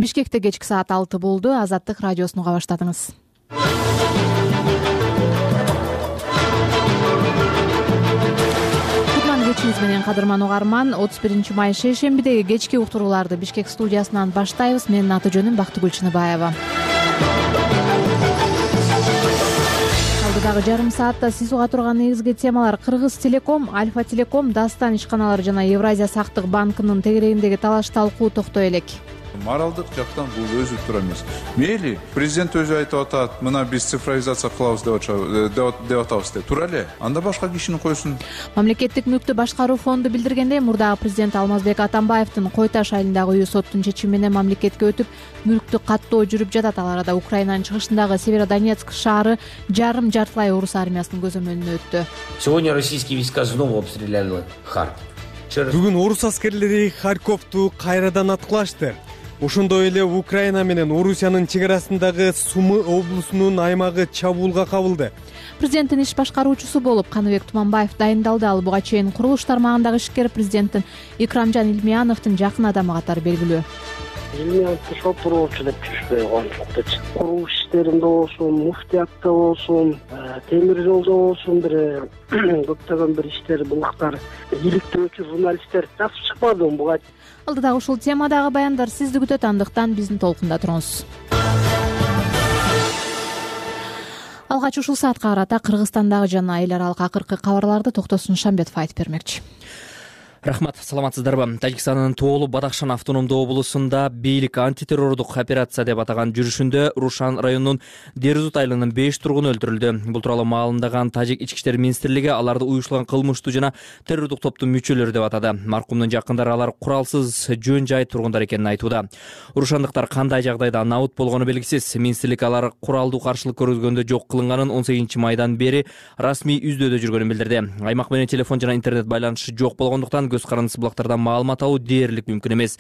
Бишкекте кечки саат 6 болду. Азаттык радиосун уга баштадыңыз. Кутман кечиңиз менен кадырман угарман. 31 май шейшембидеги кечки уктурууларды Бишкек студиясынан баштайбыз. Менин аты жөнүм Бактыгүл Чыныбаева. Алдыдагы жарым саатта сиз уга турган негизги темалар: Кыргыз Телеком, Альфа Телеком, Дастан ишканалары жана Евразия сактык банкынын тегерегиндеги талаш-талкуу токтой элек. Моралдык жактан бул өзү тура эмес. Мейли, президент өзү айтып атат, мына биз цифровизация кылабыз деп атабыз деп. Тура эле. Анда башка кишини койсун. Мамлекеттик мүлктү башкаруу фонду билдиргендей, мурдагы президент Алмазбек Атамбаевдин Кой Таш айылындагы үйү соттун чечими менен мамлекетке өтүп, мүлктү каттоо жүрүп жатат. Ал арада Украинанын чыгышындагы Северодонецк шаары жартылай орус армиясынын көзөмөлүнө өттү. Сегодня российские войска снова обстреляли Харьков. Бүгүн орус аскерлери Харьковду кайрадан аткылашты. Ошондой эле Украина менен Орусиянын чек арасындагы Сумы облусунун аймагы чабуулга кабылды. Президенттин иш башкаруучусу болуп Каныбек Туманбаев дайындалды. Ал буга чейин курулуш тармагындагы ишкер президенттин Икрамжан Илмияновдун жакын адамы катары белгилүү. Илмияновду шопуроочу деп жүрүшпөй койгончукчу. Курулуш иштеринде болсун, муфтиятта болсун, темир жолдо болсун, көптөгөн бир иштер, булактар, иликтөөчү журналисттер жакшы чыкпады буга. Алдыдагы ушул темадагы баяндар сизди күтөт, андыктан биздин толкунда туруңуз. Алгач ушул саатка карата Кыргызстандагы жана эл аралык акыркы кабарларды Токтосун Шамбетов айтып бермекчи. Рахмат, саламатсыздарбы? Тажикстандын Тоолу Бадахшан автономдуу облусунда бийлик антитеррордук операция деп атаган жүрүшүндө Рушан районунун Дерзут айылынын 5 тургуну өлтүрүлдү. Бул тууралуу маалымдаган Тажик ички иштер министрлиги аларды уюштурган кылмыштуу жана террордук топтун мүчөлөрү деп атады. Маркумдун жакындары алар куралсыз жөн жай тургундар экенин айтууда. Рушандыктар кандай жагдайда набыт болгону белгисиз. Министрлик алар куралдуу каршылык көргөзгөндө жок кылынганын 18 майдан бери расмий издөөдө жүргөнүн билдирди. Аймак менен телефон жана интернет байланышы жок болгондуктан көз карандысыз булактардан маалымат алуу дээрлик мүмкүн эмес.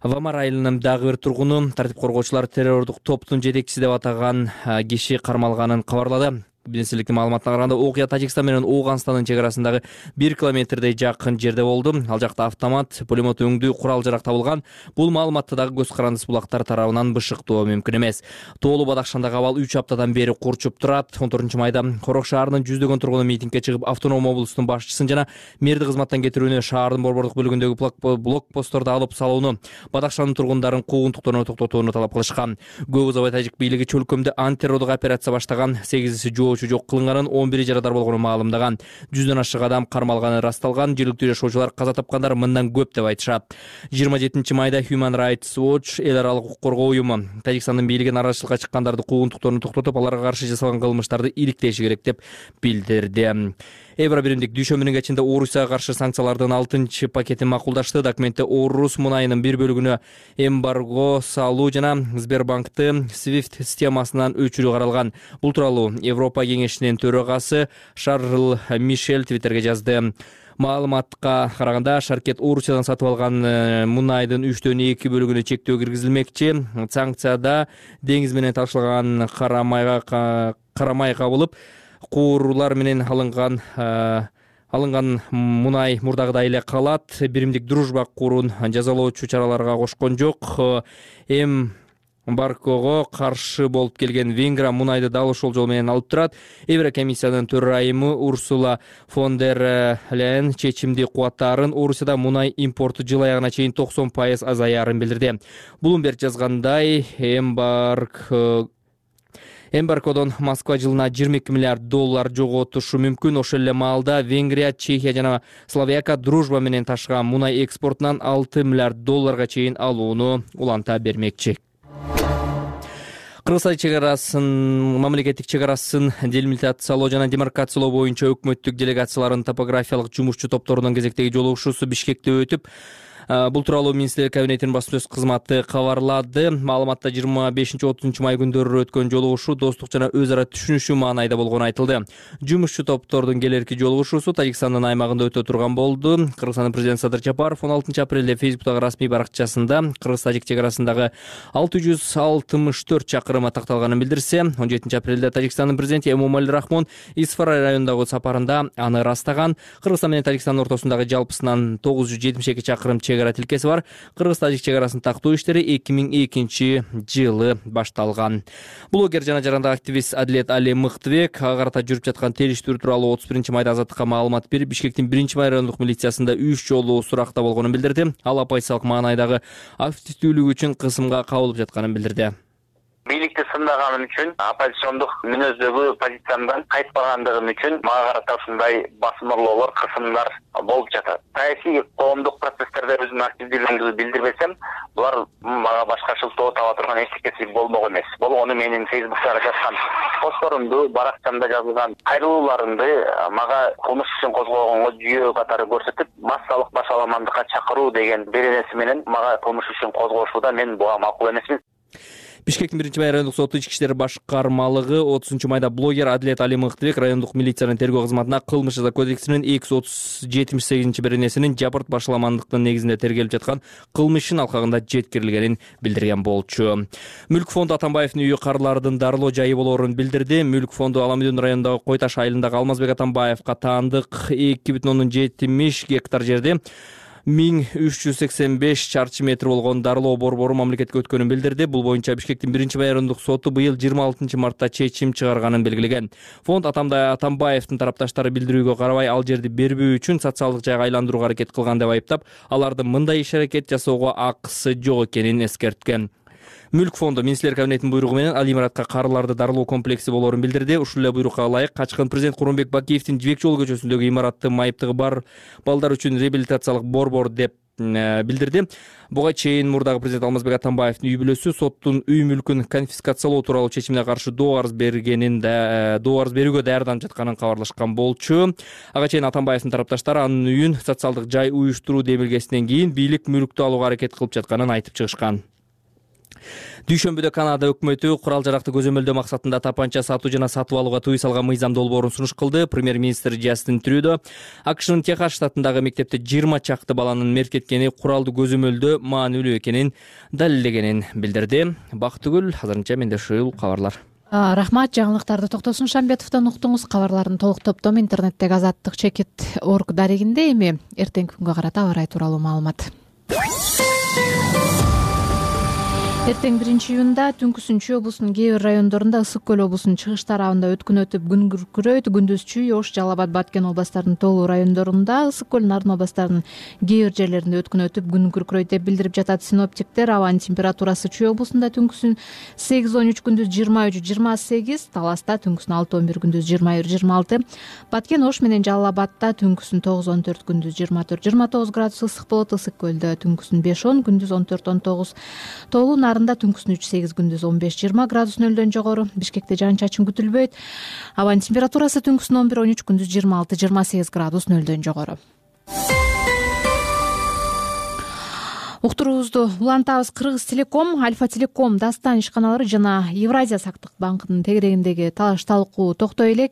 Вамар айылынын дагы бир тургуну тартип коргоочулар террордук топтун жетекчиси деп атаган киши кармалганын кабарлады. Министрликтин маалыматына караганда, окуя Тажикстан менен Ооганстандын чек арасындагы 1 километрдей жакын жерде болду. Ал жакта автомат, пулемет өңдүү курал жарак табылган. Бул маалыматты дагы көз карандысыз булактар тарабынан бышыктоо мүмкүн эмес. Тоолу Бадахшандагы абал 3 аптадан бери курчуп турат. 14 майда Корок шаарынын жүздөгөн тургуну митингге чыгып, автоном облустун башчысын жана мэрди кызматтан кетирүүнү, шаардын борбордук бөлүгүндөгү блокпостторду алып салууну, Бадахшандын тургундарын куугунтуктоону токтотууну талап кылышкан. Көп узабай Тажик бийлиги чөлкөмдө антитеррордук операция баштаган, 8 жок кылынганын, 11 жарадар болгонун маалымдаган. 100дөн ашык адам кармалганы расталган. Жергиликтүү жашоочулар каза тапкандар мындан көп деп айтышат. 27 майда Human Rights Watch эл аралык укук коргоо уюму Тажикстандын бийлиги нараачылыкка чыккандарды куугунтуктоону токтотуп, аларга каршы жасалган кылмыштарды иликтеши керек деп билдирди. Евро биримдик дүйшөмбүнүн кечинде Орусияга каршы санкциялардын 6 пакетин макулдашты. Документте орус мунайынын бир бөлүгүнө эмбарго салуу жана Сбербанкты SWIFT системасынан өчүрүү каралган. Бул тууралуу Европа кеңешинин төрагасы Шарл Мишель Твиттерге жазды. Маалыматка караганда, Шаркет Орусиядан сатып алган мунайдын 3/2 бөлүгүнө чектөө киргизилмекчи. Санкцияда деңиз менен ташылган кара май кабылып, кууруулар менен алынган мунай мурдагыдай эле калат. Биримдик дружба куурун жазалоочу чараларга кошкон жок. Эмбаргого каршы болуп келген Венгрия мунайды дал ошол жол менен алып турат. Еврокомиссиянын төрайымы Урсула фон дер Лейен чечимди кубаттаарын Орусияда мунай импорту жыл аягына чейин 90% азаярын билдирди. Bloomberg жазгандай, эмбаргодон Москва жылына $22 миллиард жоготушу мүмкүн. Ошол эле маалда Венгрия, Чехия жана Словакия дружба менен ташыган мунай экспортунан $6 миллиард чейин алууну уланта бермекчи. Кыргызстан мамлекеттик чек арасын делимитациялоо жана демаркациялоо боюнча өкмөттүк делегациялардын топографиялык жумушчу топторунун кезектеги жолугушуусу Бишкекте өтүп, Бул тууралуу Министрлик кабинетинин баспасөз кызматы кабарлады. Маалыматта 25-30 май күндөрү өткөн жолугушуу достук жана өз ара түшүнүшүү маанайда болгону айтылды. Жумушчу топтордун келерки жолугушуусу Тажикстандын аймагында өтө турган болду. Кыргызстандын президенти Садыр Жапаров 16 апрелде Фейсбуктагы расмий баракчасында Кыргыз-Тажик чек арасындагы 664 чакырымы такталганын билдирсе, 17 апрелде Тажикстандын президенти Эмомали Рахмон Исфара районундагы сапарында аны растаган. Кыргызстан менен Тажикстандын ортосундагы жалпысынан 972 чакырым чек чек ара тилкеси бар кыргыз-тажик чек арасын тактоо иштери 2002-жылы башталган. Блогер жана жарандык активист Адилет Али Мыктыбек ага карата жүрүп жаткан териштирүү тууралуу 31-майда Азаттыкка маалымат берип, Бишкектин 1-май райондук милициясында 3 жолу суракта болгонун билдирди. Ал оппозициялык маанайдагы активдүүлүгү үчүн кысымга кабылып жатканын билдирди. Бийликти сындаганым үчүн, оппозициондук мүнөздөгү позициямдан кайтпагандыгым үчүн мага карата ушундай басымырлоолор, кысымдар болуп жатат. Саясий коомдук процесстерде өзүмдүн активдүүлүгүмдү билдирбесем, булар мага башка шылтоо таба турган эчтекеси болмок эмес. Болгону менин Facebook'та жазган постторумду, баракчамда жазылган кайрылууларымды мага кылмыш ишин козгогонго жүйө катары көрсөтүп, массалык башаламандыкка чакыруу деген беренеси менен мага кылмыш ишин козгошууда мен буга макул эмесмин. Бишкектин 1-май райондук соту ички иштер башкармалыгы 30-майда блогер Адилет Али Мыктыбек райондук милициянын тергөө кызматына кылмыш жаза кодексинин 278-беренесинин жабырт башаламандыктын негизинде тергелип жаткан кылмыштын алкагында жеткирилгенин билдирген болчу. Мүлк фонду Атамбаевдин үйү карлардын дарылоо жайы болоорун билдирди. Мүлк фонду Аламүйдүн районундагы Кой Таш айылындагы Алмазбек Атамбаевга таандык 2,70 гектар жерди 1385 чарчы метр болгон дарылоо борбору мамлекетке өткөнүн билдирди. Бул боюнча Бишкектин 1-май райондук соту быйыл 26-мартта чечим чыгарганын белгилеген. Фонд Атамбаевдин тарапташтары билдирүүгө карабай ал жерди бербөө үчүн социалдык жайга айландырууга аракет кылган деп айыптап, алардын мындай иш-аракет жасоого акысы жок экенин эскерткен. Мүлк фонду министрлер кабинетинин буйругу менен ал имаратка карларды дарылоо комплекси болоорун билдирди. Ушул эле буйрукка ылайык качкын президент Курманбек Бакиевдин Жибек жолу көчөсүндөгү имараттын майыптыгы бар балдар үчүн реабилитациялык борбор деп билдирди. Буга чейин мурдагы президент Алмазбек Атамбаевдин үй бүлөсү соттун үй мүлкүн конфискациялоо тууралуу чечимине каршы доо арыз берүүгө даярданып жатканын кабарлашкан болчу. Ага чейин Атамбаевдин тарапташтары анын үйүн социалдык жай уюштуруу демилгесинен кийин бийлик мүлктү алууга аракет кылып жатканын айтып чыгышкан. Дүйшөмбүдө Канада өкмөтү курал жаракты көзөмөлдөө максатында тапанча сатуу жана сатып алууга тыюу салган мыйзам долбоорун сунуш кылды. Премьер-министр Джастин Трюдо АКШнын Техас штатындагы мектепте 20 чакты баланын меркеткени куралды көзөмөлдөө маанилүү экенин далилдегенин билдирди. Бактыгүл, азырынча менде ушул кабарлар. Рахмат, жаңылыктарды Токтосун Шамбетовдон уктуңуз. Кабарлардын толук топтому интернеттеги azattik.org дарегинде. Эми эртеңки күнгө карата аба ырайы тууралуу маалымат. Эртең 1-июнда Түнкү Сүнчүү облусунун кээ бир райондорунда, Ысык көл облусунун чыгыш тарабында өткүн өтүп күн күркүрөйт. Күндүз Чүй, Ош, Жалал Абад, Баткен областарынын толуу райондорунда, Ысык көл, Нарын областарынын кээ бир жерлеринде өткүн өтүп күн күркүрөйт деп билдирип жатат синоптиктер. Абанын температурасы Чүй облусунда түнкүсүн 8-13, күндүз 23-28, Таласта түнкүсүн 6-11, күндүз 21-26, Баткен, Ош менен Жалал Абадта түнкүсүн 9-14, күндүз 24-29 градус ысык болот. Ысык көлдө түнкүсүн 5-10, күндүз 14-19, толуу түнкүсүн 3-8, күндүз 15-20 градус нөлдөн жогору. Бишкекте жаан-чачын күтүлбөйт. Абанын температурасы түнкүсүн 11-13, күндүз 26-28 градус нөлдөн жогору. Уктуруубузду улантабыз. Кыргыз Телеком, Альфа Телеком, Дастан ишканалары жана Евразия сактык банкынын тегерегиндеги талаш талкуу токтой элек.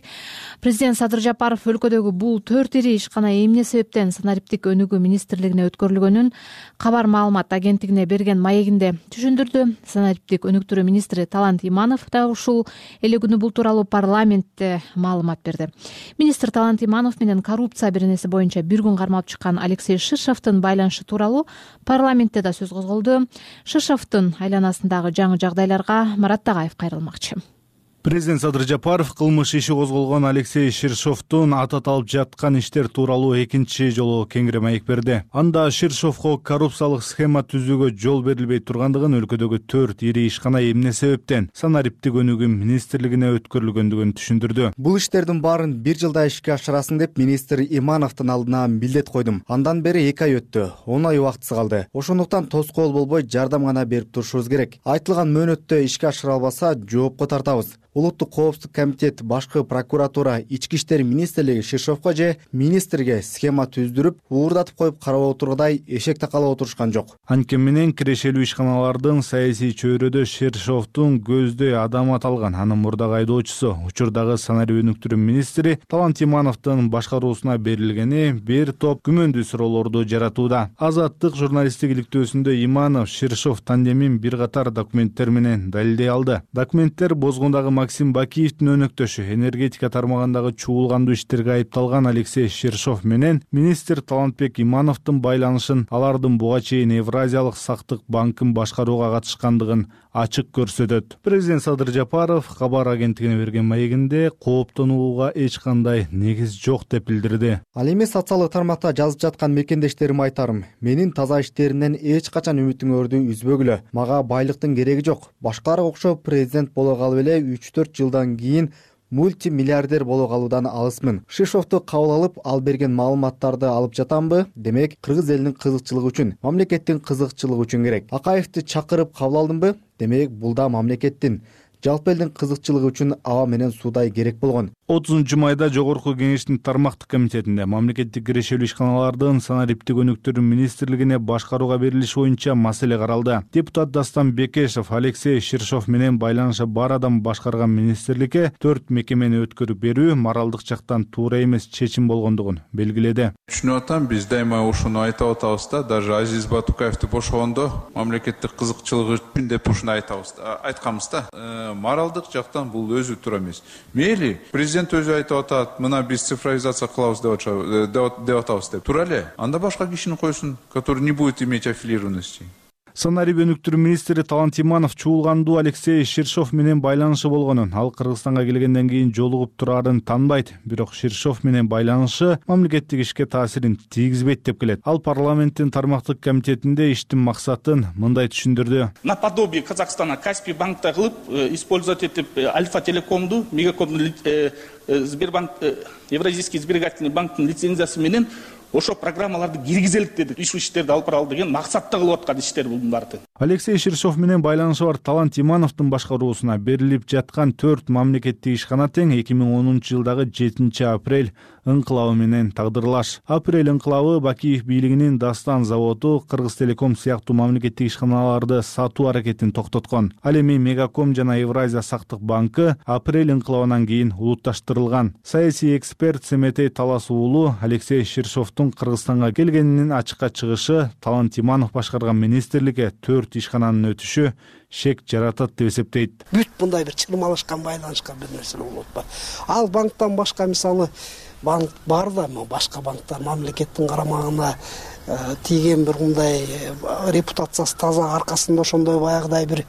Президент Садыр Жапаров өлкөдөгү бул 4 ири ишкана эмне себептен санариптик өнүгүү министрлигине өткөрүлгөнүн кабар маалымат агенттигине берген маегинде түшүндүрдү. Санариптик өнүктүрүү министри Талант Иманов да ушул эле күнү бул тууралуу парламентте маалымат берди. Министр Талант Иманов менен коррупция беренеси боюнча бир күн кармалып чыккан Алексей Шишовдун байланышы тууралуу парламентте да сөз козголду. Шишовдун айланасындагы жаңы жагдайларга Марат Тагаев кайрылмакчы. Президент Садыр Жапаров кылмыш иши козголгон Алексей Шишовдун атат алып жаткан иштер тууралуу экинчи жолу кеңири маек берди. Анда Шишовго коррупциялык схема түзүүгө жол берилбей тургандыгын, өлкөдөгү 4 ири ишкана эмне себептен санариптик өнүгүү министрлигине өткөрүлгөндүгүн түшүндүрдү. Бул иштердин баарын бир жылда ишке ашырасын деп министр Имановдун алдына милдет койдум. Андан бери 2 ай өттү. 10 ай убактысы калды. Ошондуктан тоскоол болбой жардам гана берип турушубуз керек. Айтылган мөөнөттө ишке ашыра албаса жоопко тартабыз. Улуттук коопсуздук комитет, башкы прокуратура, ички иштер министрлиги Шишовго же министрге схема түздүрүп, уурдатып коюп карап отургандай эшек такалап отурушкан жок. Анткени менен кирешелүү ишканалардын саясий чөйрөдө Шишовдун көздөй адамы аталган. Анын мурдагы айдоочусу, учурдагы санарип өнүктүрүү министри Талант Имановдун башкаруусуна берилгени бир топ күмөндүү суроолорду жаратууда. Азаттык журналисттик иликтөөсүндө Иманов Шишов тандемин бир катар документтер менен далилдей алды. Документтер бозгундагы Максим Бакиевдин өнөктөшү энергетика тармагындагы чуулгандуу иштерге айыпталган Алексей Шершов менен министр Талантбек Имановдун байланышын алардын буга чейин Евразиялык сактык банкын башкарууга катышкандыгын ачык көрсөтөт. Президент Садыр Жапаров кабар агенттигине берген маегинде кооптонууга эч кандай негиз жок деп билдирди. Ал эми социалдык тармакта жазып жаткан мекендештериме айтарым: менин таза иштеримден эч качан үмүтүңөрдү үзбөгүлө. Мага байлыктын кереги жок. Башкаларга окшоп президент боло калып эле 3-4 жылдан кийин мультимиллиардер боло калуудан алысмын. Шишовду кабыл алып, ал берген маалыматтарды алып жатамбы? Демек, кыргыз элинин кызыкчылыгы үчүн, мамлекеттин кызыкчылыгы үчүн керек. Акаевди чакырып кабыл алдымбы? Демек, бул да мамлекеттин, жалпы элдин кызыкчылыгы үчүн аба менен суудай керек болгон. 30-майда Жогорку Кеңештин тармактык комитетинде мамлекеттик кирешелүү ишканалардын санариптик өнүктүрүү министрлигине башкарууга берилиши боюнча маселе каралды. Депутат Дастан Бекешев Алексей Шершов менен байланышы бар адам башкарган министрликке 4 мекемени өткөрүп берүү моралдык жактан туура эмес чечим болгондугун белгиледи. Түшүнүп атам, биз дайыма ушуну айтып атабыз да, даже Азиз Батукаевди бошогондо мамлекеттик кызыкчылыгы үчүн деп ушуну айтканбыз да. Моралдык жактан бул өзү туура эмес. Мейли президент өзү айтып атат, мына биз цифровизация кылабыз деп атабыз деп. Туура эле. Анда башка кишини койсун, который не будет иметь аффилированности. Санарип өнүктүрүү министри Талант Иманов чуулгандуу Алексей Шершов менен байланышы болгонун, ал Кыргызстанга келгенден кийин жолугуп турарын танбайт. Бирок Шершов менен байланышы мамлекеттик ишке таасирин тийгизбейт деп келет. Ал парламенттин тармактык комитетинде иштин максатын мындай түшүндүрдү. Наподобие Казахстана Каспий банкта кылып использовать этип Альфа Телекомду, Мегакомду, Сбербанк, Евразийский сберегательный банктын лицензиясы менен ошо программаларды киргизелик деди. Иш иштерди алып баралы деген максатта кылып аткан иштер бул баары. Алексей Шершов менен байланышы бар Талант Имановдун башкаруусуна берилип жаткан 4 мамлекеттик ишкана тең 2010-жылдагы 7-апрель ыңкылабы менен тагдырлаш. Апрель ыңкылабы Бакиев бийлигинин Дастан заводу, Кыргыз Телеком сыяктуу мамлекеттик ишканаларды сатуу аракетин токтоткон. Ал эми Мегаком жана Евразия сактык банкы апрель ыңкылабынан кийин улутташтырылган. Саясий эксперт Семетей Талас уулу Алексей Шершовдун Кыргызстанга келгенинин ачыкка чыгышы Талант Иманов башкарган министрликке 4 ишкананын өтүшү шек жаратат деп эсептейт. Бүт мындай бир чырмалашкан байланышкан бир нерсе болуп атпайбы? Ал банктан башка мисалы банк бар да, башка банктар мамлекеттин карамагына тийген бир мындай репутациясы таза аркасында ошондой баягыдай бир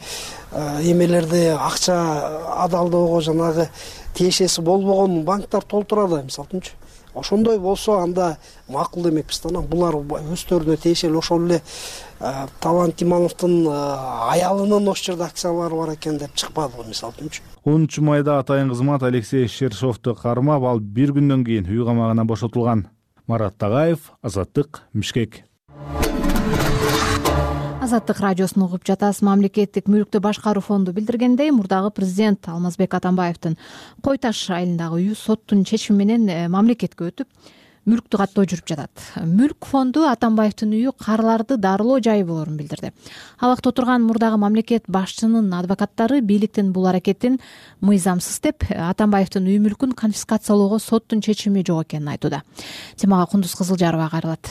эмелерди акча адалдоого жанагы тиешеси болбогон банктар толтурат, мисалы үчүнчү. Ошондой болсо анда макул демекпиз да. Булар өздөрүнө тиешелүү ошол эле Талант Имановдун аялынын ошол жерде акциялары бар экен деп чыкпады, мисалы үчүнчү. 10-майда атайын кызмат Алексей Шершовду кармап, ал бир күндөн кийин үй камагына бошотулган. Марат Тагаев, Азаттык, Бишкек. Азаттык радиосун угуп жатасыз. Мамлекеттик мүлктү башкаруу фонду билдиргендей, мурдагы президент Алмазбек Атамбаевдин Кой Таш айылындагы үйү соттун чечими менен мамлекетке өтүп, мүлктү каттоо жүрүп жатат. Мүлк фонду Атамбаевдин үйү карларды дарылоо жайы болорун билдирди. Абакта отурган мурдагы мамлекет башчынын адвокаттары бийликтин бул аракетин мыйзамсыз деп, Атамбаевдин үй мүлкүн конфискациялоого соттун чечими жок экенин айтууда. Темага Кундуз Кызылжарова кайрылат.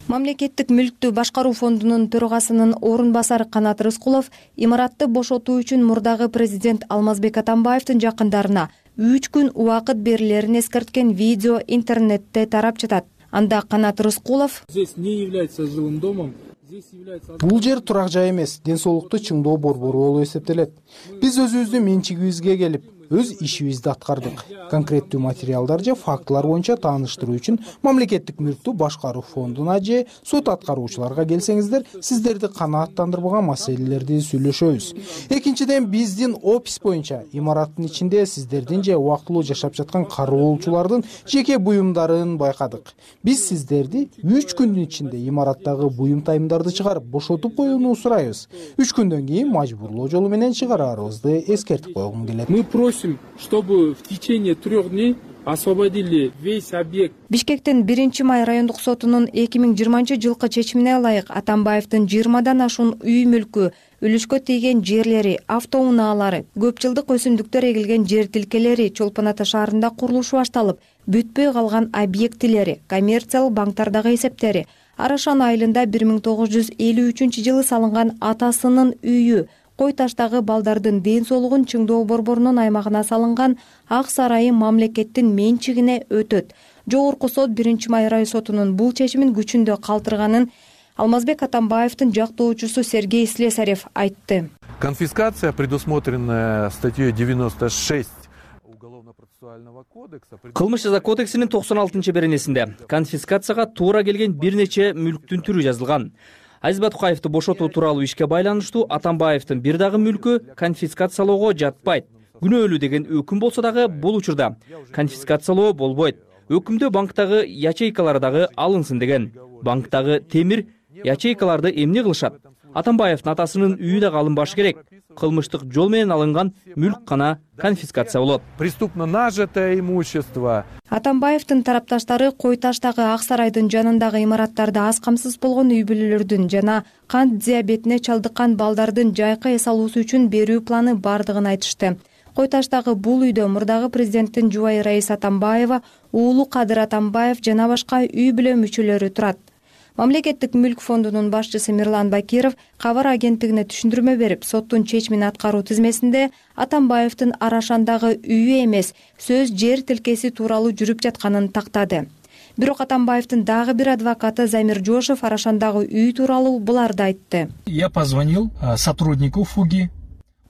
Мамлекеттик мүлктү башкаруу фондунун төрагасынын орун басары Канат Рыскулов имаратты бошотуу үчүн мурдагы президент Алмазбек Атамбаевдин жакындарына 3 күн убакыт берилерин эскерткен видео интернетте тарап жатат. Анда Канат Рыскулов: "Здесь не является жилым домом. Бул жер турак жай эмес, ден соолукту чыңдоо борбору болуп эсептелет. Биз өзүбүздүн менчигибизге келип, өз ишибизди аткардык. Конкреттүү материалдар же фактылар боюнча тааныштыруу үчүн мамлекеттик мүлктү башкаруу фондуна же сот аткаруучуларга келсеңиздер, сиздерди канааттандырбаган маселелерди сүйлөшөбүз. Экинчиден, биздин опис боюнча имараттын ичинде сиздердин же убактылуу жашап жаткан кароолчулардын жеке буюмдарын байкадык. Биз сиздерди 3 күндүн ичинде имараттагы буюм тайымдарды чыгарып бошотуп коюуну сурайбыз. 3 күндөн кийин мажбурлоо жолу менен чыгараарыбызды эскертип койгум келет. Мы просим, чтобы в течение 3 дней освободили весь объект. Бишкектин 1-май райондук сотунун 2020-жылкы чечимине ылайык Атамбаевдин 20дан ашуун үй мүлкү, үлүшкө тийген жерлери, автоунаалары, көп жылдык өсүмдүктөр эгилген жер тилкелери Чолпон Ата шаарында курулушу башталып, бүтпөй калган объектилери, коммерциялык банктардагы эсептери, Арашан айылында 1953-жылы салынган атасынын үйү, Кой таштагы балдардын ден соолугун чыңдоо борборунун аймагына салынган Ак сарайы мамлекеттин менчигине өтөт. Жогорку сот 1-май район сотунун бул чечимин күчүндө калтырганын Алмазбек Атамбаевдин жактоочусу Сергей Слесарев айтты. Конфискация, предусмотренная статьей 96 Уголовно-процессуального кодекса. Кылмыш жаза кодексинин 96-беренесинде конфискацияга туура келген бир нече мүлктүн түрү жазылган. Азиз Батукаевди бошотуу тууралуу ишке байланыштуу Атамбаевдин бир дагы мүлкү конфискациялоого жатпайт. Күнөөлүү деген өкүм болсо дагы бул учурда конфискациялоо болбойт. Өкүмдө банктагы ячейкалар дагы алынсын деген. Банктагы темир ячейкаларды эмне кылышат? Атамбаевдин атасынын үйү дагы алынбашы керек. Кылмыштык жол менен алынган мүлк гана конфискация болот. Преступно нажитое имущество. Атамбаевдин тарапташтары Кой таштагы Ак сарайдын жанындагы имараттарда аз камсыз болгон үй бүлөлөрдүн жана кант диабетине чалдыккан балдардын жайкы эс алуусу үчүн берүү планы бардыгын айтышты. Кой таштагы бул үйдө мурдагы президенттин жубайы Раиса Атамбаева, уулу Кадыр Атамбаев жана башка үй бүлө мүчөлөрү турат. Мамлекеттик мүлк фондунун башчысы Мирлан Бакиров кабар агенттигине түшүндүрмө берип, соттун чечимин аткаруу тизмесинде Атамбаевдин Арашандагы үйү эмес, сөз жер тилкеси тууралуу жүрүп жатканын тактады. Бирок Атамбаевдин дагы бир адвокаты Замир Жошев Арашандагы үй тууралуу буларды айтты. Я позвонил сотруднику ФУГИ.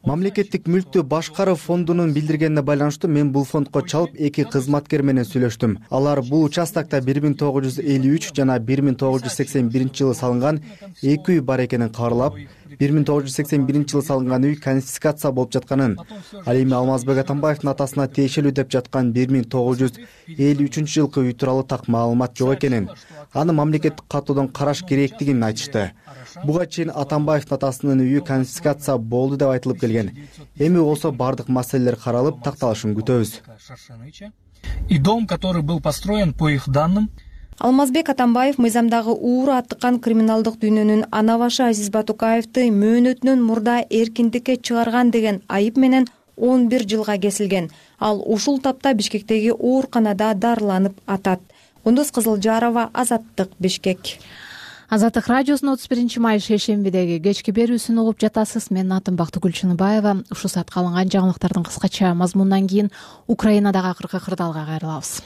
Мамлекеттик мүлктү башкаруу фондунун билдиргенине байланыштуу мен бул фондко чалып 2 кызматкер менен сүйлөштүм. Алар бул участокто 1953 жана 1981 жылы салынган 2 үй бар экенин кабарлап, 1981 жылы салынган үй конфискация болуп жатканын, ал эми Алмазбек Атамбаевдин атасына тиешелүү деп жаткан 1953 жылкы үй тууралуу так маалымат жок экенин, аны мамлекеттик катуудан караш керектигин айтышты. Буга чейин Атамбаевдин атасынын үйү конфискация болду деп айтылып келген. Эми болсо бардык маселелер каралып, такталышын күтөбүз. И дом, который был построен по их данным. Алмазбек Атамбаев мыйзамдагы ууру аттыккан криминалдык дүйнөнүн ана башы Азиз Батукаевди мөөнөтүнөн мурда эркиндикке чыгарган деген айып менен 11 жылга кесилген. Ал ушул тапта Бишкектеги ооруканада дарыланып атат. Кундуз Кызылжарова, Азаттык, Бишкек. Азаттык радиосунун 31-май шейшембидеги кечки берүүсүн угуп жатасыз. Менин атым Бактыгүл Чыныбаева. Ушул саатка алынган жаңылыктардын кыскача мазмунунан кийин Украинадагы акыркы кырдаалга кайрылабыз.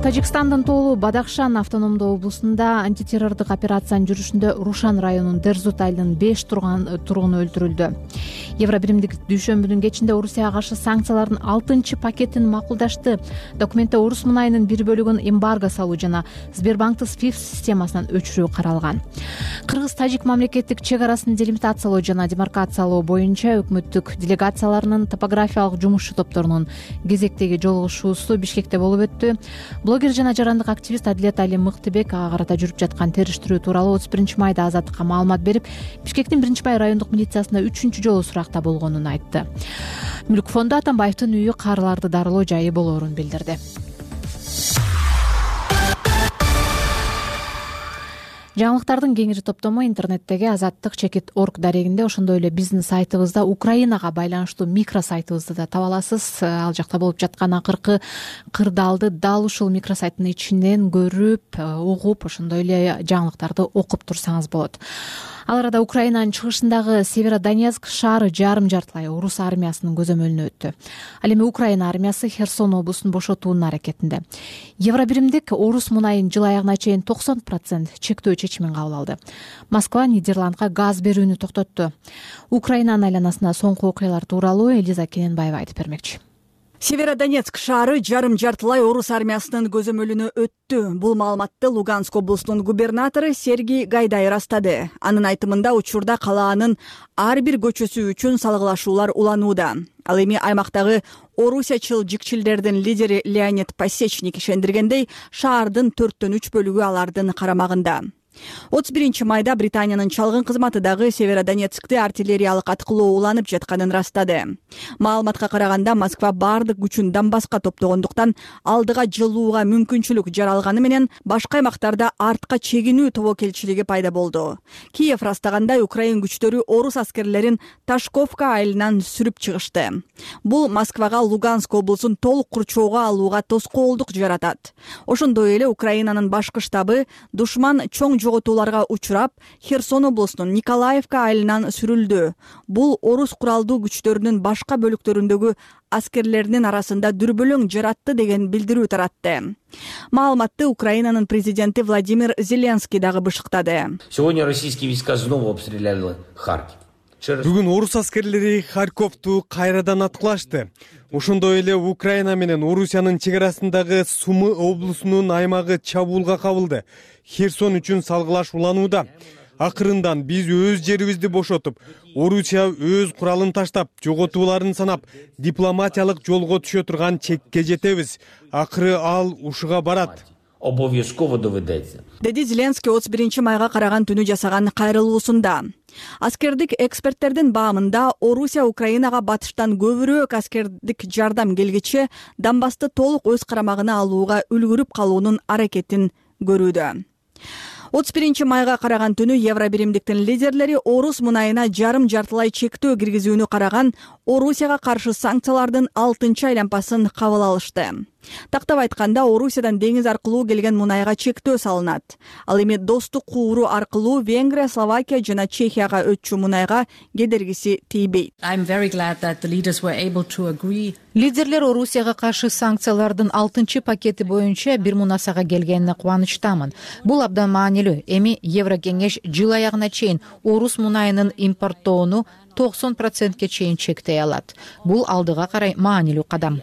Тажикстандын тоолуу Бадахшан автономдуу облусунда антитеррордук операциянын жүрүшүндө Рушан районунун Дерзут айылынын 5 тургуну өлтүрүлдү. Евробиримдик дүйшөмбүнүн кечинде Орусияга каршы санкциялардын 6 пакетин макулдашты. Документте Орус мунайынын бир бөлүгүн эмбарго салуу жана Сбербанктын SWIFT системасынан өчүрүү каралган. Кыргыз-тажик мамлекеттик чек арасын делимитациялоо жана демаркациялоо боюнча өкмөттүк делегацияларынын топографиялык жумушчу топторунун кезектеги жолугушуусу Бишкекте болуп өттү. Блогер жана жарандык активист Адилет Али Мыктыбек ага карата жүрүп жаткан териштирүү тууралуу 31-майда Азаттыкка маалымат берип, Бишкектин 1-май райондук милициясына 3 жолу суракта болгонун айтты. Мүлк фонду Атамбаевдин үйү карыларды дарылоо жайы болоорун билдирди. Жаңылыктардын кеңири топтому интернеттеги azattik.org дарегинде, ошондой эле биздин сайтыбызда Украинага байланыштуу микросайтыбызды да таба аласыз. Ал жакта болуп жаткан акыркы кырдаалды дал ушул микросайттын ичинен көрүп, угуп, ошондой эле жаңылыктарды окуп турсаңыз болот. Ал арада Украинанын чыгышындагы Северодонецк шаары жарым жартылай орус армиясынын көзөмөлүнө өттү. Ал эми Украина армиясы Херсон облусун бошотуунун аракетинде. Евробиримдик орус мунайын жыл аягына чейин 90% чектөө чечимин кабыл алды. Москва Нидерландга газ берүүнү токтотту. Украинанын айланасына соңку окуялар тууралуу Элиза Кененбаева айтып бермекчи. Северодонецк шаары жарым жартылай орус армиясынын көзөмөлүнө өттү. Бул маалыматты Луганск облусунун губернатору Сергей Гайдай ырастады. Анын айтымында учурда калаанын ар бир көчөсү үчүн салгылашуулар уланууда. Ал эми аймактагы орусячыл жикчилдердин лидери Леонид Пасечник ишендиргендей, шаардын 4/3 бөлүгү алардын карамагында. 31-майда Британиянын чалгын кызматы дагы Северодонецкте артиллериялык аткылоо уланып жатканын ырастады. Маалыматка караганда Москва бардык күчүн Донбасска топтогондуктан алдыга жылууга мүмкүнчүлүк жаралганы менен башка аймактарда артка чегинүү тобокелчилиги пайда болду. Киев ырастагандай Украин күчтөрү орус аскерлерин Ташковка айылынан сүрүп чыгышты. Бул Москвага Луганск облусун толук курчоого алууга тоскоолдук жаратат. Ошондой эле Украинанын башкы штабы душман чоң жоготууларга учурап, Херсон облусунун Николаевка айылынан сүрүлдү. Бул орус куралдуу күчтөрүнүн башка бөлүктөрүндөгү аскерлеринин арасында дүрбөлөң жаратты деген билдирүү таратты. Маалыматты Украинанын президенти Владимир Зеленский дагы бышыктады. Сегодня российские войска снова обстреляли Харьков. Бүгүн орус аскерлери Харьковду кайрадан аткылашты. Ошондой эле Украина менен Орусиянын чек арасындагы Сумы облусунун аймагы чабуулга кабылды. Херсон үчүн салгылаш уланууда. Акырындан биз өз жерибизди бошотуп, Орусия өз куралын таштап, жоготууларын санап, дипломатиялык жолго түшө турган чекке жетебиз. Акыры ал ушуга барат. Обовязково доведется. Деди Зеленский 31 майга караган түнү жасаган кайрылуусунда. Аскердик эксперттердин баамында Орусия Украинага батыштан көбүрөөк аскердик жардам келгиче Донбассты толук өз карамагына алууга үлгүрүп калуунун аракетин көрүүдө. 31 майга караган түнү Евробиримдиктин лидерлери орус мунайына жарым-жартылай чектөө киргизүүнү караган Орусияга каршы санкциялардын 6-чы айлампасын кабыл алышты. Тактап айтканда, Орусиядан деңиз аркылуу келген мунайга чектөө салынат. Ал эми достук кууру аркылуу Венгрия, Словакия жана Чехияга өтчү мунайга кедергиси тийбейт. Лидерлер Орусияга каршы санкциялардын 6-чы пакети боюнча бир мунасага келгенине кубанычтамын. Бул абдан маанилүү. Эми Еврокеңеш жыл аягына чейин орус мунайынын импорттоону 90%ке чейин чектей алат. Бул алдыга карай маанилүү кадам.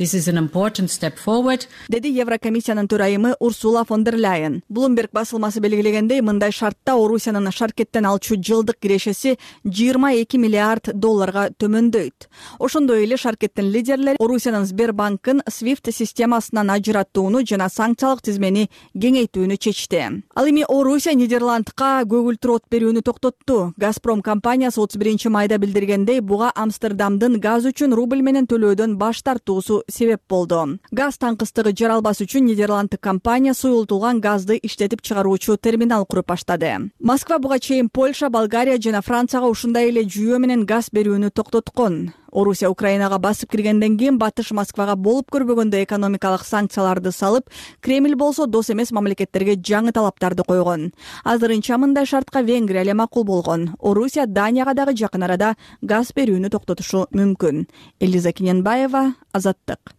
Деди Еврокомиссиянын төрайымы Урсула фон дер Ляйен. Bloomberg басылмасы белгилегендей, мындай шартта Орусиянын шаркеттен алчу жылдык кирешеси 22 миллиард долларга төмөндөйт. Ошондой эле шаркеттин лидерлери Орусиянын Сбербанкын SWIFT системасынан ажыраттууну жана санкциялык тизмени кеңейтүүнү чечти. Ал эми Орусия Нидерландка көгүлтүр от берүүнү токтотту. Газпром компаниясы 31 майда билдиргендей, буга Амстердамдын газ үчүн рубль менен төлөөдөн баш тартуусу себеп болду. Газ таңкыстыгы жаралбас үчүн Нидерланддык компания суюлтулган газды иштетип чыгаруучу терминал куруп баштады. Москва буга чейин Польша, Болгария жана Францияга ушундай эле жүйө менен газ берүүнү токтоткон. Орусия Украинага басып киргенден кийин Батыш Москвага болуп көрбөгөндө экономикалык санкцияларды салып, Кремль болсо дос эмес мамлекеттерге жаңы талаптарды койгон. Азырынча мындай шартка Венгрия эле макул болгон. Орусия Данияга дагы жакын арада газ берүүнү токтотушу мүмкүн. Элиза Кененбаева, Азаттык.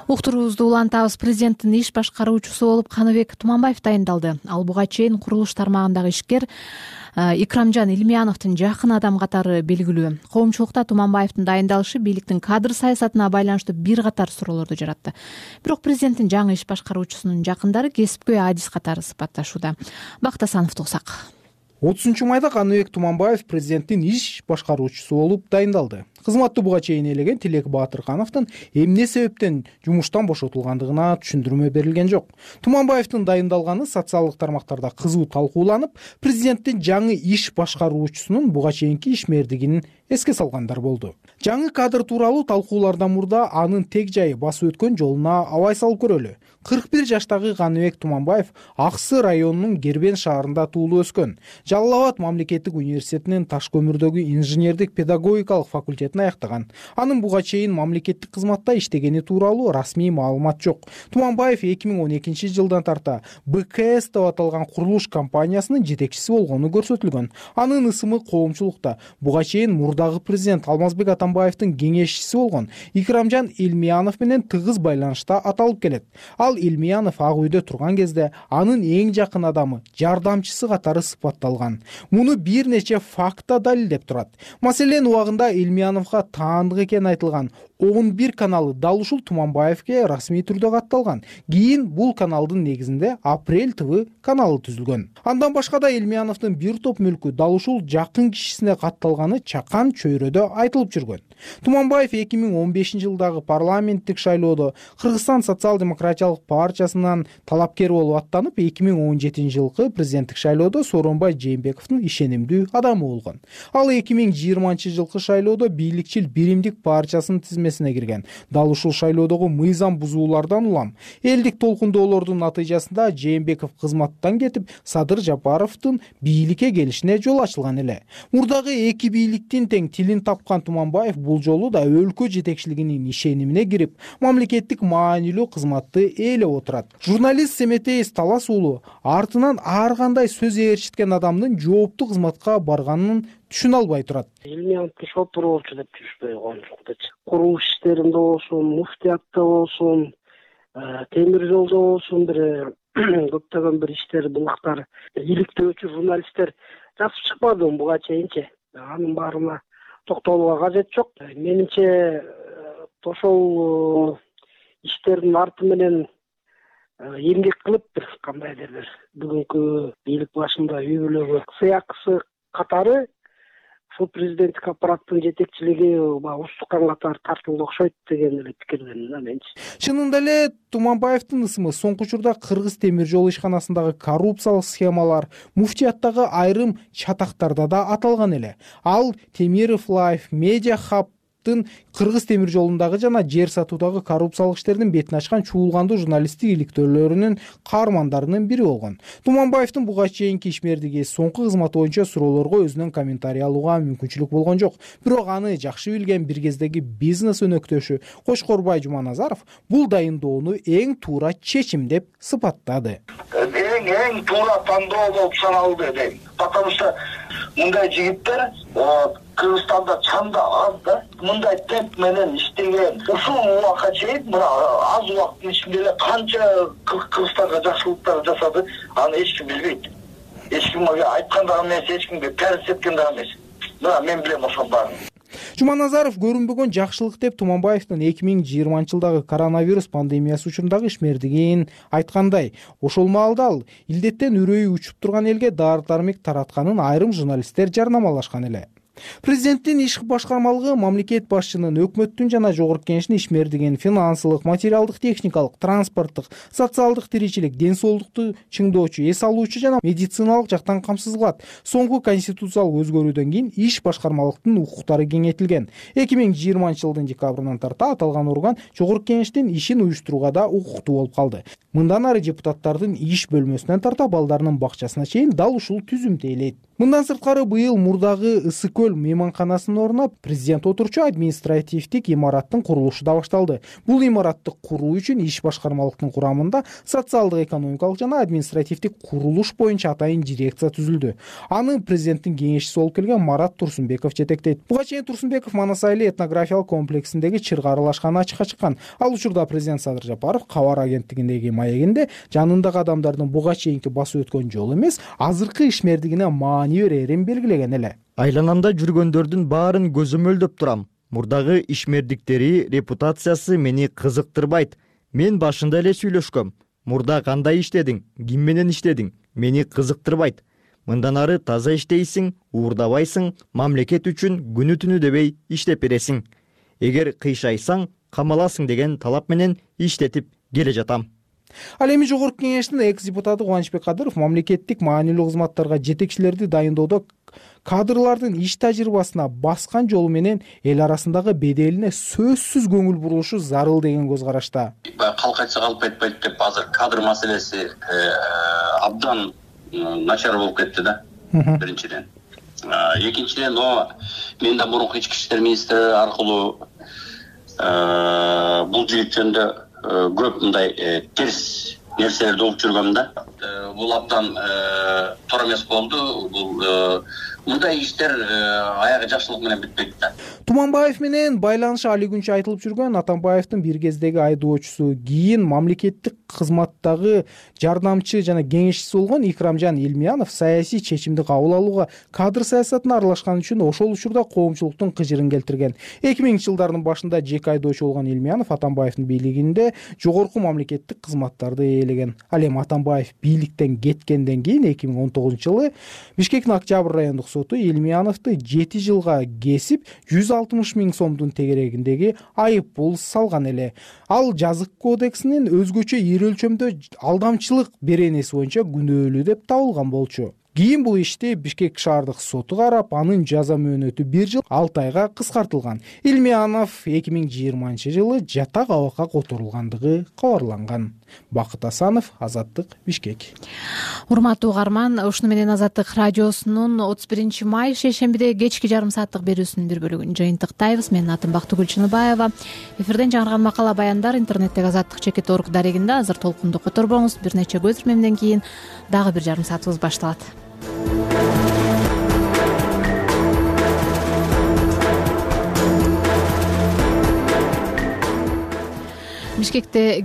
Уктуруубузду улантабыз. Президенттин иш башкаруучусу болуп Каныбек Туманбаев дайындалды. Ал буга чейин курулуш тармагындагы ишкер Икрамжан Илмияновдун жакын адам катары белгилүү. Коомчулукта Туманбаевдин дайындалышы бийликтин кадр саясатына байланыштуу бир катар суроолорду жаратты. Бирок президенттин жаңы иш башкаруучусунун жакындары кесипкөй адис катары сыпатташууда. Бакыт Асановду угсак. 30 майда Каныбек Туманбаев президенттин иш башкаруучусу болуп дайындалды. Кызматты буга чейин ээлеген Тилек Баатыркановдун эмне себептен жумуштан бошотулгандыгына түшүндүрмө берилген жок. Туманбаевдин дайындалганы социалдык тармактарда кызуу талкууланып, президенттин жаңы иш башкаруучусунун буга чейинки ишмердигин эске салгандар болду. Жаңы кадр тууралуу талкуулардан мурда анын тег жайы басып өткөн жолуна абай салып көрөлү. 41 жаштагы Каныбек Туманбаев Аксы районунун Гербен шаарында туулуп өскөн. Жалал Абад мамлекеттик университетинин таш көмүрдөгү инженердик педагогикалык факультетин аяктаган. Анын буга чейин мамлекеттик кызматта иштегени тууралуу расмий маалымат жок. Туманбаев 2012 жылдан тарта БКС деп аталган курулуш компаниясынын жетекчиси болгону көрсөтүлгөн. Анын ысымы коомчулукта буга чейин мурдагы президент Алмазбек Атамбаевдин кеңешчиси болгон Икрамжан Илмиянов менен тыгыз байланышта аталып келет. Ал Илмиянов Ак үйдө турган кезде анын эң жакын адамы, жардамчысы катары сыпатталган. Муну бир нече факта далилдеп турат. Маселен, убагында Илмияновго таандык экени айтылган 11 каналы дал ушул Туманбаевге расмий түрдө катталган. Кийин бул каналдын негизинде Апрель ТВ каналы түзүлгөн. Андан башка да Илмияновдун бир топ мүлкү дал ушул жакын кишисине катталганы чакан чөйрөдө айтылып жүргөн. Туманбаев 2015 жылдагы парламенттик шайлоодо Кыргызстан социал-демократиялык партиясынан талапкер болуп аттанып, 2017 жылкы президенттик шайлоодо Сооронбай Жээнбековдун ишенимдүү адамы болгон. Ал 2020 жылкы шайлоодо бийликчил Биримдик партиясынын тизмесине кирген. Дал ушул шайлоодогу мыйзам бузуулардан улам элдик толкундоолордун натыйжасында Жээнбеков кызматтан кетип, Садыр Жапаровдун бийликке келишине жол ачылган эле. Мурдагы эки бийликтин тең тилин тапкан Туманбаев бул жолу да өлкө жетекчилигинин ишенимине кирип, мамлекеттик маанилүү кызматты ээлеп отурат. Журналист Семетей Талас уулу артынан ар кандай сөз ээрчиткен адамдын жооптуу кызматка барганын түшүнө албай турат. Илмияновду шопур болчу деп түшпөй коюмчукчу. Курулуш иштеринде болсун, муфтиятта болсун, темир жолдо болсун, бир көптөгөн бир иштер, булактар, иликтөөчү журналисттер жазып чыкпадым буга чейинчи. Анын баарына токтолууга кажет жок. Менимче ошол иштердин арты менен эмгек кылып кандайдыр бир бүгүнкү бийлик башында үй бүлөгө сыякысы катары ушул президенттик аппараттын жетекчилиги устукан катары тартылды окшойт деген эле пикирдемин да менчи. Чынында эле Туманбаевдин ысымы соңку учурда Кыргыз темир жол ишканасындагы коррупциялык схемалар, муфтияттагы айрым чатактарда да аталган эле. Ал Темиров Лайф, Медиа Хаб Кыргыз темир жолундагы жана жер сатуудагы коррупциялык иштердин бетин ачкан чуулгандуу журналисттик иликтөөлөрүнүн каармандарынын бири болгон. Туманбаевдин буга чейинки ишмердиги, соңку кызматы боюнча суроолорго өзүнөн комментарий алууга мүмкүнчүлүк болгон жок. Бирок аны жакшы билген бир кездеги бизнес өнөктөшү Кошкорбай Жуманазаров бул дайындоону эң туура чечим деп сыпаттады. Эң туура тандоо болуп саналды дейм. Потому что мындай жигиттер Кыргызстанда чанда аз да. Мындай темп менен иштеген ушул убакка чейин мына аз убакыттын ичинде эле канча Кыргызстанга жакшылыктар жасады, аны эч ким билбейт. Эч ким айткан да эмес, эч кимге перс эткен да эмес. Мына мен билем ошол баарын. Жуманазаров көрүнбөгөн жакшылык деп Туманбаевдин 2020-жылдагы коронавирус пандемиясы учурундагы ишмердигин айткандай, ошол маалда ал илдеттен үрөйү учуп турган элге дары-дармек таратканын айрым журналисттер жарнамалашкан эле. Президенттин иш башкармалыгы мамлекет башчынын, өкмөттүн жана жогорку кеңештин ишмердигин финансылык, материалдык, техникалык, транспорттук, социалдык тиричилик, ден соолукту чыңдоочу, эс алуучу жана медициналык жактан камсыз кылат. Соңку конституциялык өзгөрүүдөн кийин иш башкармалыктын укуктары кеңейтилген. 2020-жылдын декабрынан тарта аталган орган жогорку кеңештин ишин уюштурууга да укуктуу болуп калды. Мындан ары депутаттардын иш бөлмөсүнөн тарта балдарынын бакчасына чейин дал ушул түзүмдү ээлейт. Мындан сырткары быйыл мурдагы Ысык көл мейманканасынын ордуна президент отурчу административдик имараттын курулушу да башталды. Бул имаратты куруу үчүн иш башкармалыктын курамында социалдык, экономикалык жана административдик курулуш боюнча атайын дирекция түзүлдү. Аны президенттин кеңешчиси болуп келген Марат Турсунбеков жетектейт. Буга чейин Турсунбеков Манас айыл этнографиялык комплексиндеги чырга аралашкан ачыкка чыккан. Ал учурда президент Садыр Жапаров кабар агенттигиндеги маегинде жанындагы адамдардын буга чейинки басып өткөн жолу эмес, азыркы ишмердигине маани берерин белгилеген эле. Айланамда жүргөндөрдүн баарын көзөмөлдөп турам. Мурдагы ишмердиктери репутациясы мени кызыктырбайт. Мен башында эле сүйлөшкөм. Мурда кандай иштедиң, ким менен иштедиң, мени кызыктырбайт. Мындан ары таза иштейсиң, уурдабайсың, мамлекет үчүн күнү түнү дебей иштеп бересиң. Эгер кыйшайсаң, камаласың деген талап менен иштетип келе жатам. Ал эми жогорку кеңештин экс-депутаты Кубанычбек Кадыров мамлекеттик маанилүү кызматтарга жетекчилерди дайындоодо кадрлардын иш тажрыйбасына баскан жолу менен эл арасындагы беделине сөзсүз көңүл бурулушу зарыл деген көз карашта. Калк айтса калп айтпайт деп азыр кадр маселеси абдан начар болуп кетти да. Биринчиден. Экинчиден, мен да мурунку ички иштер министри аркылуу бул жигит жөнүндө көп мындай терс нерселерди угуп жүргөм да. Бул абдан туура эмес болду. Бул мындай иштер аягы жакшылык менен бүтпөйт да. Туманбаев менен байланышы али күнчө айтылып жүргөн Атамбаевдин бир кездеги айдоочусу, кийин мамлекеттик кызматтагы жардамчы жана кеңешчиси болгон Икрамжан Илмиянов саясий чечимди кабыл алууга кадр саясатына аралашкан үчүн ошол учурда коомчулуктун кыжырын келтирген. 2000-жылдардын башында жеке айдоочу болгон Илмиянов Атамбаевдин бийлигинде жогорку мамлекеттик кызматтарды ээлеген. Ал эми Атамбаев бийликтен кеткенден кийин 2019-жылы Бишкектин Октябрь райондук соту Илмияновду 7 жылга кесип 160 000 сомдун тегерегиндеги айып пул салган эле. Ал жазык кодексинин өзгөчө ири өлчөмдө алдамчылык беренеси боюнча күнөөлүү деп табылган болчу. кийин бул ишти Бишкек шаардык соту карап, анын жаза мөөнөтү 1 жыл 6 айга кыскартылган. Илмиянов 2020 жылы жатак абакка которулгандыгы кабарланган. Бакыт Асанов, Азаттык, Бишкек. Урматтуу угарман, ушуну менен Азаттык радиосунун 31 май шейшембиде кечки жарым сааттык берүүсүнүн бир бөлүгүн жыйынтыктайбыз. Менин атым Бактыгүл Чыныбаева. Эфирден жаңырган макала баяндар интернеттеги Азаттык.org дарегинде азыр толкунду которбоңуз. Бир нече көзүрмемден кийин дагы бир жарым саатыбыз башталат. Бишкекте